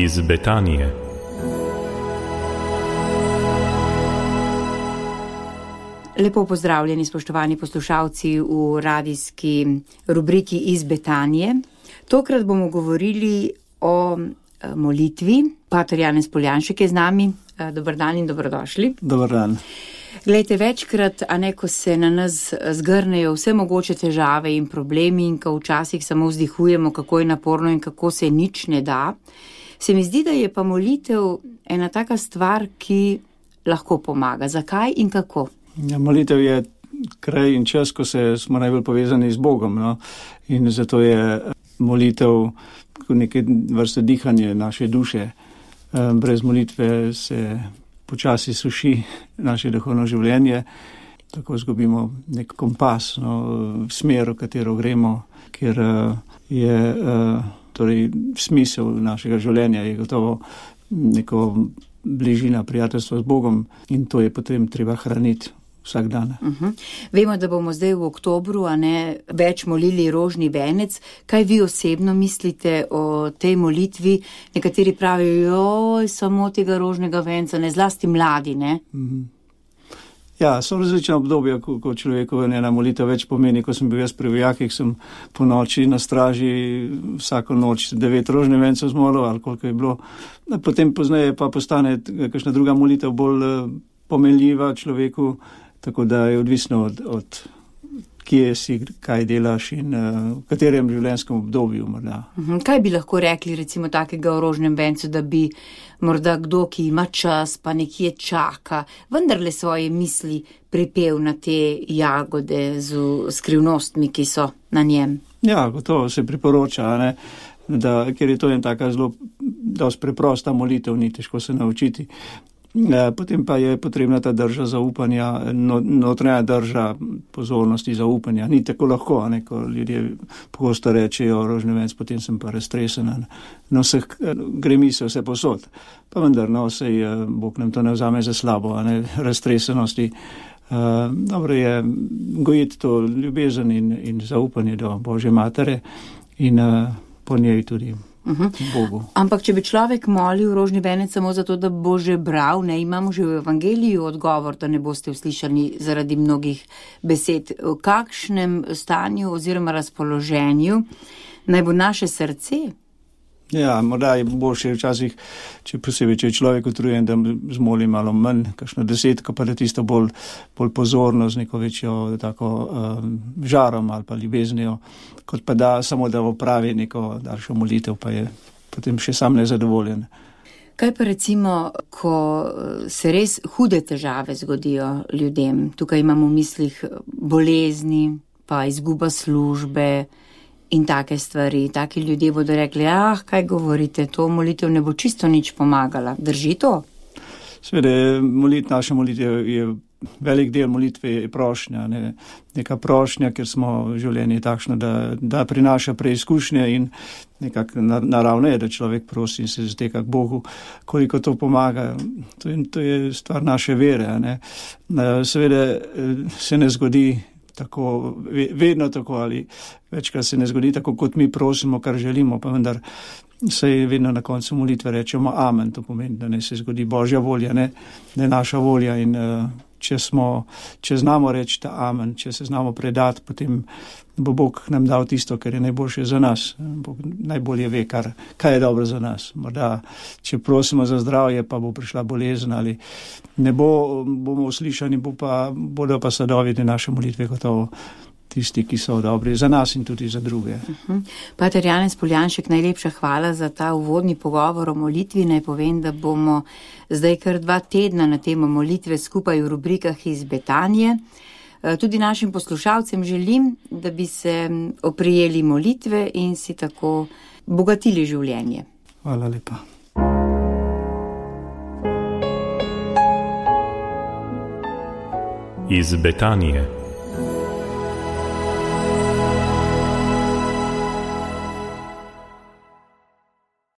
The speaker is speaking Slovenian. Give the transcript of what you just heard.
iz Betanije. Lepo pozdravljeni, spoštovani poslušalci v radijski rubriki iz Betanije. Tokrat bomo govorili o molitvi. Pater Janez Poljanšek je z nami. Dober dan in dobrodošli. Dober dan. Glejte, večkrat, ko se na nas zgrnejo vse mogoče težave in problemi in ko včasih samo vzdihujemo, kako je naporno in kako se nič ne da, se mi zdi, da je pa molitev ena taka stvar, ki lahko pomaga. Zakaj in kako? Ja, molitev je kraj in čas, ko smo najbolj povezani z Bogom. No? In zato je molitev neke vrste dihanje naše duše. Brez molitve se počasi suši naše duhovno življenje, tako izgubimo nek kompas, smer, v katero gremo, ker je torej smisel našega življenja je gotovo neko bližina prijateljstva z Bogom in to je potem treba hraniti vsak dan. Vemo, da bomo zdaj v oktobru, več molili rožni venec. Kaj vi osebno mislite o tej molitvi? Nekateri pravijo, samo tega rožnega venca, ne zlasti mladi, ne? Ja, so različna obdobja, ko človeku ena molitev več pomeni. Ko sem bil jaz pri vojakih, sem po noči na straži vsako noč 9 rožnih vencev zmolil, ali koliko je bilo. Potem pozneje pa postane kakšna druga molitev bolj pomenljiva človeku, tako da je odvisno od kje si, kaj delaš in v katerem življenjskem obdobju morda. Kaj bi lahko rekli recimo takega o rožnem vencu, da bi morda kdo, ki ima čas, pa nekje čaka, vendarle svoje misli pripel na te jagode z skrivnostmi, ki so na njem? Ja, gotovo se priporoča, ker je to en taka zelo dosti preprosta molitev, ni težko se naučiti. Potem pa je potrebna ta drža zaupanja, notranja drža pozornosti zaupanja. Ni tako lahko, ko ljudje pogosto rečejo rožni venc, potem sem pa raztresen. Gre misel vse posod. Pa vendar, Bog nam to ne vzame za slabo, raztresenosti. Dobro je gojiti to ljubezen in zaupanje do Božje matere in po njej tudi Bogu. Ampak če bi človek molil rožni venec samo zato, da bo že bral, imamo že v evangeliju odgovor, da ne boste uslišani zaradi mnogih besed. V kakšnem stanju oziroma razpoloženju naj bo naše srce? Ja, morda je boljše včasih, če je človek utrujen, da zmoli malo manj, kakšno 10, pa da tisto bolj pozorno z neko večjo tako žarom ali pa ljubeznijo, kot pa da samo da opravi neko daljšo molitev, pa je potem še sam nezadovoljen. Kaj pa recimo, ko se res hude težave zgodijo ljudem? Tukaj imamo v mislih bolezni, pa izguba službe in take stvari. Taki ljudje bodo rekli, kaj govorite, to molitev ne bo čisto nič pomagala. Drži to? Seveda, naša molitev je velik del molitve je prošnja, neka prošnja, ker smo življenje takšno, da prinaša preizkušnje in nekako naravno je, da človek prosi in se zateka k Bogu, koliko to pomaga. To je stvar naše vere. Seveda se ne zgodi tako, vedno tako ali večkrat se ne zgodi tako, kot mi prosimo, kar želimo, pa vendar se vedno na koncu molitve rečemo amen, to pomeni, da ne se zgodi Božja volja, ne naša volja in če znamo reči ta amen, če se znamo predati, potem bo Bog nam dal tisto, kar je najboljše za nas. Bog najbolje ve, kaj je dobro za nas. Morda, če prosimo za zdravje, pa bo prišla bolezen ali ne bomo uslišani, bodo pa sadovi te naše molitve gotovo tisti, ki so dobri za nas in tudi za druge. Pater Janez Poljanšek, najlepša hvala za ta uvodni pogovor o molitvi. Naj povem, da bomo zdaj kar 2 tedna na temo molitve skupaj v rubrikah iz Betanije. Tudi našim poslušalcem želim, da bi se oprijeli molitve in si tako bogatili življenje. Hvala lepa. Iz Betanije.